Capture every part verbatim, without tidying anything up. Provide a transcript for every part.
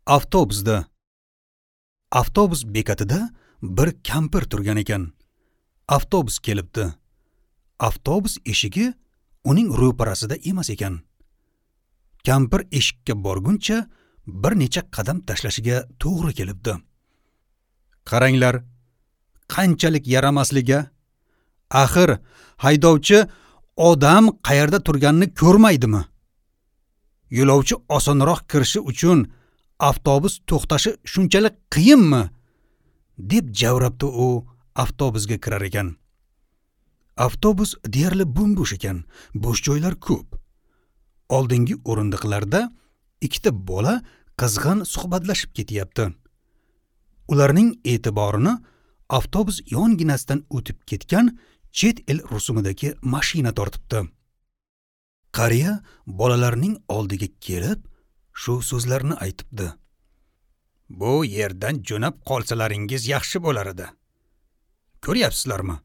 Avtobusda. Avtobus bekatida bir kampir turgan ekan. Avtobus kelibdi. Avtobus eshigi uning ro'parasida emas ekan. Kampir eshikka borguncha bir necha qadam tashlashiga to'g'ri kelibdi. Qaranglar, qanchalik yaramasliga. Axir haydovchi odam qayerda turganini ko'rmaydimi? Yo'lovchi osonroq kirishi uchun avtobus to'xtashi shunchalik qiyinmi? Deb javrabdi u avtobusga kirar ekan. Avtobus deyarli bo'm-bo'sh ekan, bo'sh joylar ko'p. Oldingi o'rindiqlarda ikkita bola qizg'in suhbatlashib ketyapti. Ularning e'tiborini avtobus yonginasidan o'tib ketgan chet el rusumidagi mashina tortibdi. Qariya bolalarning oldiga kelib shu so'zlarni aytibdi. Bu yerdan jo'nab qolsalaringiz yaxshi bo'lar edi. Ko'ryapsizlarmi?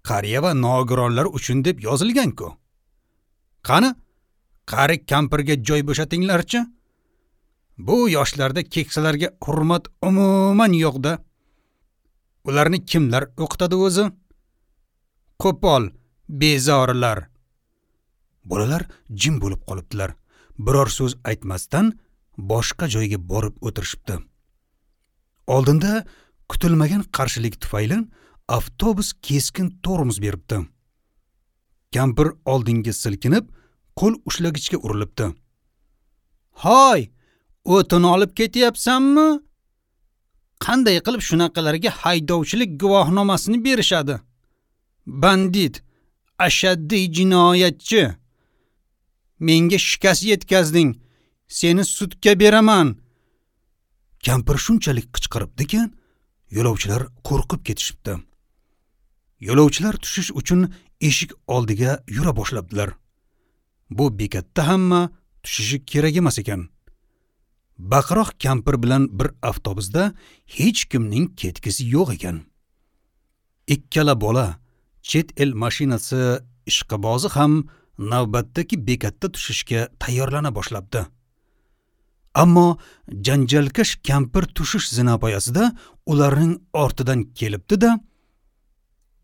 Qariya va nogironlar uchun deb yozilgan-ku. Qani, qari kampirga joy bo'shatinglarchi. Bu yoshlarda keksalarga hurmat umuman yo'q-da. Ularni kimlar o'qitadi o'zi? Qo'pol, bezorilar. Bolalar jim bo'lib qolibdilar. Biror so'z aytmasdan boshqa joyga borib o'tirishibdi. Oldinda kutilmagan qarshilik tufayli avtobus keskin tormoz beribdi. Kampir oldinga silkinib, qo'l ushlagichga urilibdi. "Hoy, o'tin olib ketyapsanmi? Qanday qilib shunaqalarga haydovchilik guvohnomasini berishadi? Bandit, ashaddiy jinoyatchi. Menga shikast yetkazding, seni sudga beraman." Kampir shunchalik qichqiribdiki, yo'lovchilar qo'rqib ketishibdi. Yo'lovchilar tushish uchun eshik oldiga yura boshlabdilar. Bu bekatda hamma tushishi kerak emas ekan. Baqiroq kampir bilan bir avtobusda hech kimning ketgisi yo'q ekan. Ikkala bola, chet el mashinasi ishqibozi ham navbatdagi bekatda tushishga tayyorlana boshlabdi. Ammo janjalkash kampir tushish zinapoyasida ularning ortidan kelibdi-da,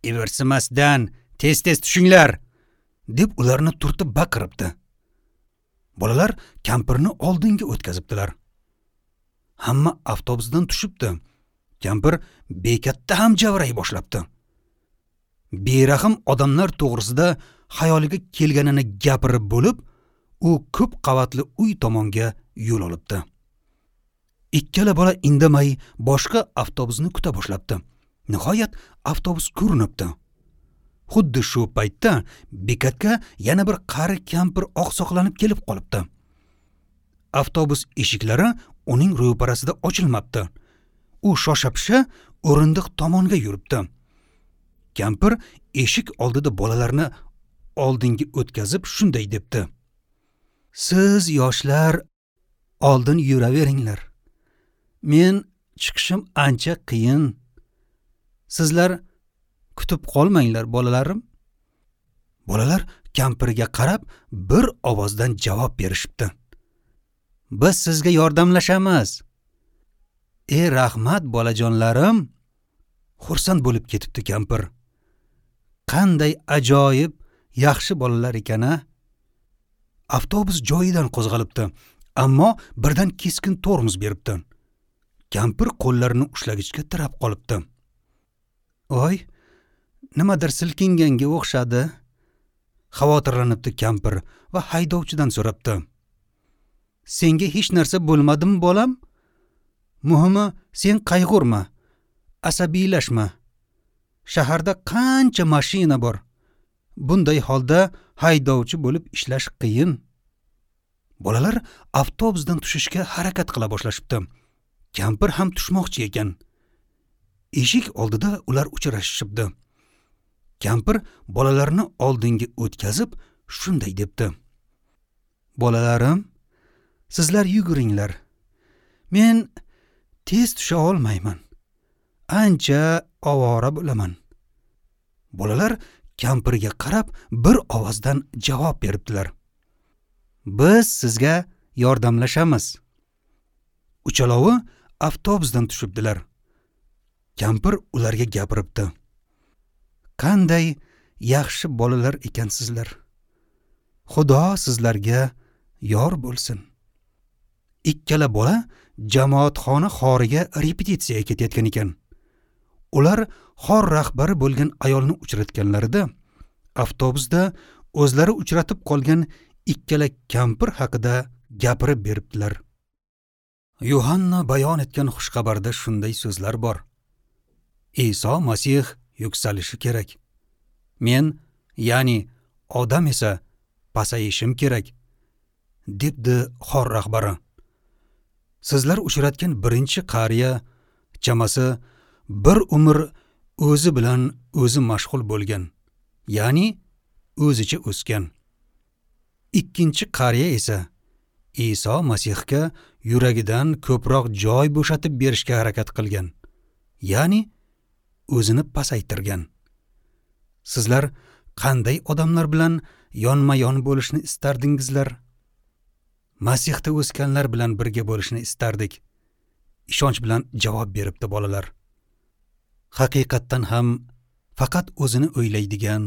"Ivirsimasdan tez-tez tushinglar!" deb ularni turtib baqiribdi. Bolalar kampirni oldinga o'tkazibdilar. Hamma avtobusdan tushibdi. Kampir bekatda ham javray boshlabdi. Berahm odamlar to'g'risida xayoliga kelganini gapirib bo'lib, u ko'p qavatli uy tomonga yo'l olibdi. Ikkala bola indamay boshqa avtobusni kuta boshlabdi. Nihoyat avtobus ko'rinibdi. Xuddi shu paytda bekatga yana bir qari kampir oqsoqlanib kelib qolibdi. Avtobus eshiklari uning ro'parasida ochilmabdi. U shosha-pisha o'rindiq tomonga yuribdi. Kampir eshik oldida bolalarni oldinga o'tkazib shunday debdi: "Siz yoshlar oldin yuraveringlar. Men chiqishim ancha qiyin. Sizlar kutib qolmanglar, bolalarim." Bolalar kampirga qarab bir ovozdan javob berishibdi. "Biz sizga yordamlashamiz." "Ey rahmat, bolajonlarim." Xursand bo'lib ketibdi kampir. Qanday ajoyib, yaxshi bolalar ekan-a? Avtobus joyidan qo'zg'alibdi, ammo birdan keskin tormoz beribdi. Kampir qo'llarini ushlagichga tirab qolibdi. "Oy, nimadir silkinganga o'xshadi." Xavotirlanibdi kampir va haydovchidan so'rabdi. "Senga hech narsa bo'lmadimi, bolam? Muhimi, sen qayg'urma, asabiylashma. Shaharda qancha mashina bor. Bunday holda haydovchi bo'lib ishlash qiyin." Bolalar avtobusdan tushishga harakat qila boshlashibdi. Kampir ham tushmoqchi ekan. Eshik oldida ular uchrashishibdi. Kampir bolalarni oldinga o'tkazib shunday debdi: "Bolalarim, sizlar yuguringlar. Men tez tusha olmayman. Ancha ovora bo'laman." Bolalar kampirga qarab bir ovozdan javob beribdilar: "Biz sizga yordamlashamiz." Uchalovi avtobusdan tushibdilar. Kampir ularga gapiribdi. Qanday yaxshi bolalar ekansizlar. Xudo sizlarga yor bo'lsin. Ikkala bola jamoatxona xoriga repetitsiyaga ketayotgan ekan. Ular xor rahbari bo'lgan ayolni uchratganlarida avtobusda o'zlari uchratib qolgan ikkala kampir haqida gapirib beribdilar. Yuhanna bayon etgan xushxabarda shunday so'zlar bor. Iso Masih yuksalishi kerak. Men, ya'ni odam esa pasayishim kerak, debdi xor rahbari. Sizlar uchratgan birinchi qariya chamasi bir umr o'zi bilan o'zi mashg'ul bo'lgan, ya'ni o'zicha o'sgan. Ikkinchi qariya esa Iso Masihga yuragidan ko'proq joy bo'shatib berishga harakat qilgan, ya'ni o'zini pasaytirgan. Sizlar qanday odamlar bilan yonma-yon bo'lishni istardingizlar? Masihda o'sganlar bilan birga bo'lishni istardik. Ishonch bilan javob beribdi bolalar. Haqiqatdan ham faqat o'zini o'ylaydigan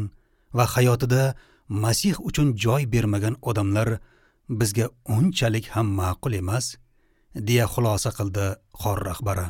va hayotida Masih uchun joy bermagan odamlar bizga unchalik ham ma'qul emas, deya xulosa qildi xor rahbari.